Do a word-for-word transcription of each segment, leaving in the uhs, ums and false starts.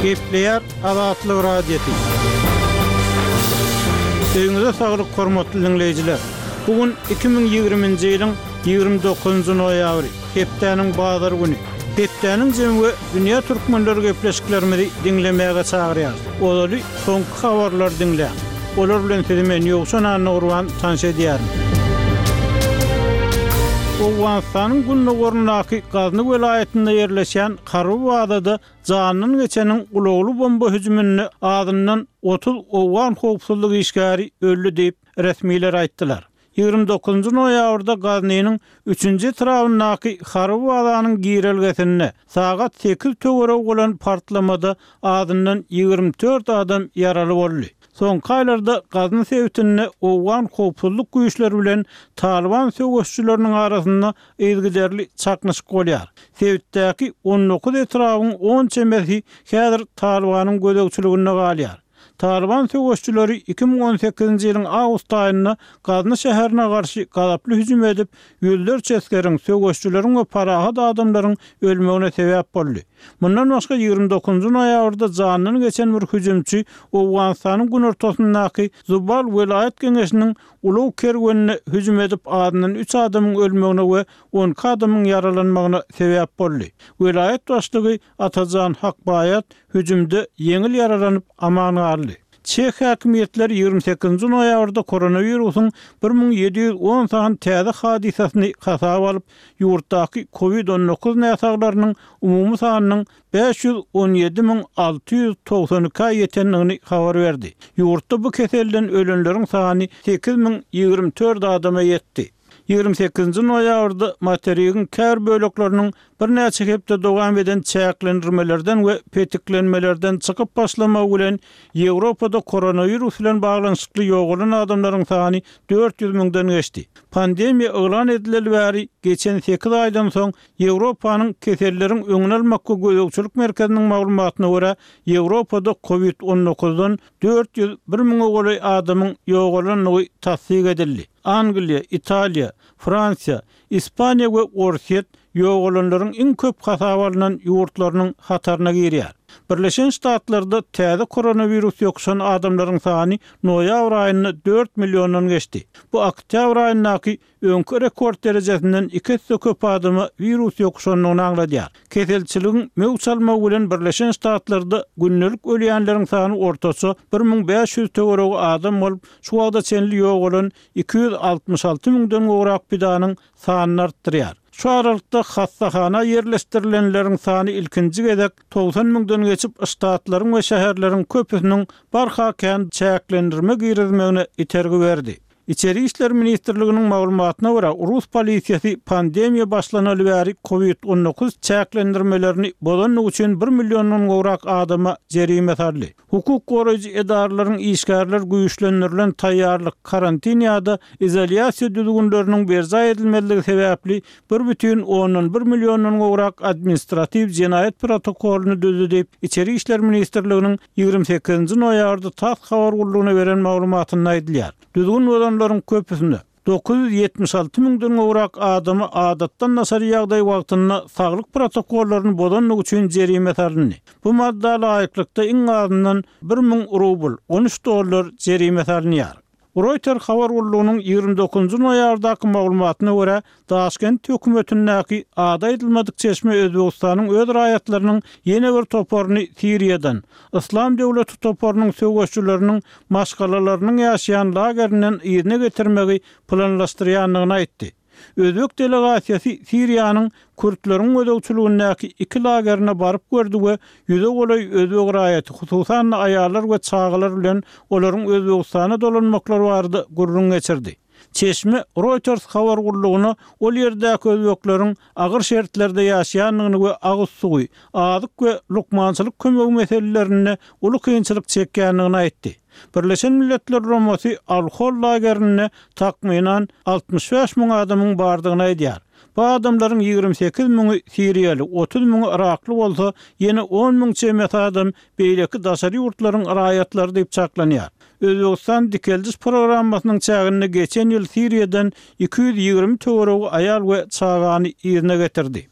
Gepleýär Azatlyk Radiosy. Öýüňize saglyk hormatly diňleýjiler. Bu gün iki müň ýigriminji ýylyň ýigrimi dokuzynjy noýabry, hepdäniň bazar güni. Hepdäniň jemi we dünýä türkmenleri gepleşiklerimizi diňlemäge çagyrýarys. Ozaly soňky habarlary diňläň. Olar bilen sizi men Ýowşan Annagurban tanyş edýärin. Owganystanyň gündogaryndaky Gazny welaýatynda ýerleşýän harby bazada jandan geçeniň ulagly bomba hüjüminde azyndan otuz owgan howpsuzlyk işgäri öldi diýip, resmiler aýtdylar. Ýigrimi dokuzynjy noýabrda Gaznynyň üçünji etrabyndaky harby bazanyň girelgesinde sagat sekiz töweregi bolan partlamada azyndan ýigrimi dört adam ýaraly boldy. Soňky aýlarda Gazny sebitinde owgan howpsuzlyk güýçleri bilen Talyban söweşçileriniň arasynda yzygiderli çaknyşyk bolýar. Sebitdäki on dokuz etrabyň on çemesi häzir Talybanyň gözegçiliginde galýar. Talyban söweşçileri iki müň on sekizinji ýylyň awgust aýynda Gazny şäherine garşy gazaply hüjüm edip, ýüzlerçe esgeriň, söweşçileriň we parahat adamlaryň ölmegine sebäp boldy. Mundan başga ýigrimi dokuzynjy noýabrda jandan geçen bir hüjümçi Owganystanyň günortasyndaky Zubal welaýat geňeşiniň ulag kerwenine hüjüm edip, azyndan üç adamyň ölmegine we on iki adamyň ýaralanmagyna sebäp boldy. Welaýat başlygy Atajan Hakbaýat hüjümde ýeňil ýaralanyp aman galdy. Çeh häkimiýetleri ýigrimi sekizinji noýabrda koronawirusyň bir müň ýedi ýüz on sany täze hadysasyny hasaba alyp, ýurtdaky covid on dokuz näsaglarynyň umumy sanynyň bäş ýüz on ýedi müň alty ýüz togsan ikä ýetendigini habar berdi. Ýurtda bu keselden ölenleriň sany sekiz müň ýigrimi dört adama ýetdi. Ýigrimi sekizinji noýabrda materigiň kär bölekleriniň birnäçe hepde dowam eden çäklendirmelerden we petiklenmelerden çykyp başlamagy bilen Ýewropada koronawirus bilen baglanyşykly ýogalan adamlaryň sany dört ýüz müňden geçdi. Pandemiýa yglan edileli bäri geçen sekiz aýdan soň Ýewropanyň keselleriň öňüni almak we gözegçilik merkeziniň maglumatyna görä Ýewropada covid on dokuzdan dört ýüz bir müňe golaý adamyň ýogalandygy tassyk edildi. Angliýa, Italiýa, Fransiýa, Ispaniýa we Orsýet ýogalanlaryň iň köp hasaba alnan ýurtlarynyň hataryna girýär. Birleşen Ştatlarda täze koronawirus ýokuşan adamlaryň sany noýabr aýynda dört milliondan geçdi. Bu oktýabr aýyndaky öňki rekord derejesinden iki esse köp adama wirus ýokuşandygyny aňladýar. Keselçiligiň möwç almagy bilen Birleşen Ştatlarda gündelik ölýänleriň sany ortaça bir müň bäş ýüz töweregi adam bolup, şu wagta çenli ýogalan iki ýüz altmyş alty müňden gowrak pidanyň sanyny artdyrýar. Şu aralykda hassahana ýerleşdirilenleriň sany ilkinji gezek togsan müňden geçip, ştatlaryň we şäherleriň köpüsiniň barha kän çäklendirme girizmegine itergi berdi. Içeri İşler Ministrliginiň maglumatyna görä, Rus polisiýasy pandemiýa başlanaly bäri covid on dokuz çäklendirmelerini bozandygy üçin bir milliondan gowrak adama jerime saldy. Hukuk goraýjy edaralaryň işgärler güýçlendirilen taýýarlyk, karantin ýa-da izolýasiýa düzgünleriniň berjaý edilmezligi sebäpli bir bütin ondan bir milliondan gowrak administratiw jenaýat protokolyny düzdi diýip, Içeri İşler Ministrliginiň ýigrimi sekizinji noýabrda TASS habar gullugyna beren maglumatynda aýdylýar. Düzgün bozanlaryň köpüsinde dokuz ýüz ýetmiş alty müňden gowrak adamy adatdan daşary ýagdaý wagtynda saglyk protokollaryny bozandygy üçin jerime salyndy. Bu madda laýyklykda iň azyndan bir müň rubl, on üç dollar jerime salynýar. Reuters habar gullugynyň ýigrimi dokuzynjy noýabrdaky maglumatyna görä, Daşkent hökümetindäki ady aýdylmadyk çeşme Özbegistanyň öz raýatlarynyň ýene bir toparyny Siriýadan, Islam döwleti toparynyň söweşçileriniň maşgalalarynyň ýaşaýan lagerinden yzyna getirmegi planlaşdyrýandygyny aýtdy. Özbek delegasiýasy Siriýanyň kürtleriň gözegçiligindäki iki lagerine baryp gördi we ýüze golaý özbek raýaty, hususan aýallar we çagalar bilen olaryň Özbegistana dolanmaklary barada gürrüň geçirdi. Çeşme Reuters habar gullugyna ol ýerdäki özbekleriň agyr şertlerde ýaşaýandygyny we agyz suwy, azyk we lukmançylyk kömegi meselelerinde uly kynçylyk çekýändigini aýtdy. Birleşen Milletler Guramasy Al-Hol lagerinde takmynan altmyş bäş müň adamyň bardygyny aýdýar. Bu adamlaryň ýigrimi sekiz müňi Siriýaly, otuz müňi Irakly bolsa, ýene on müň çemesi adam beýleki daşary ýurtlaryň raýatlary diýip çaklanýar. Özbegistan dikeldiş programmasynyň çäginde geçen ýyl Siriýadan iki ýüz ýigrimi töweregi aýal we çagany yzyna getirdi.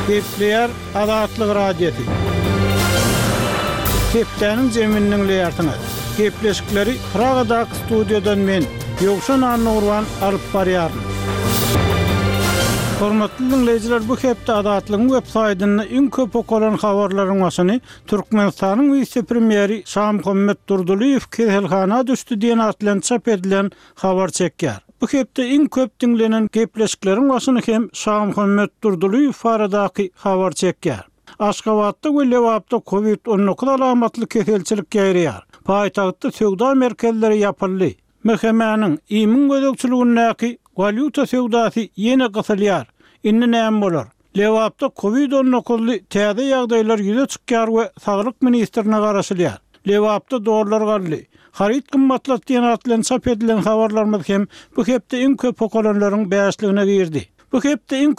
Gepleýär Azatlyk Radiosy. Hepdäniň jemini diňleýärsiňiz. Gepleşikleri Pragadaky studiýadan men, Ýowşan Annagurban alyp barýaryn. Hormatly dinleýjiler, bu hepde Azatlygyň web saýtynda iň köp okalan habarlaryň başyny Türkmenistanyň wise-premýeri Şamuhammet Durdylyýew keselhana düşdi diýen at bilen çap edilen habar çekýär. Bu hepde iň köp diňlenen gepleşikleriň başyny hem Şamuhammet Durdylyýew baradaky habar çekýär. Aşgabatda we Lebapda COVID on dokuz alamatly keselçilik ýaýraýar. Paýtagtda söwda merkezleri ýapyldy. M H M-niň İMİň gözegçiligindäki walýuta söwdasy ýene gysylýar. Indi näme bolar? Lebapda COVID on dokuzly täze ýagdaýlar ýüze çykýar we Saglyk ministrine garaşylýar. Lebapda dollar galdy. Haryt gymmatlat diýen at bilen çap edilen habarlarymyz hem bu hepde iň köp okalanlaryň bäşligine girdi. Bu hepde iň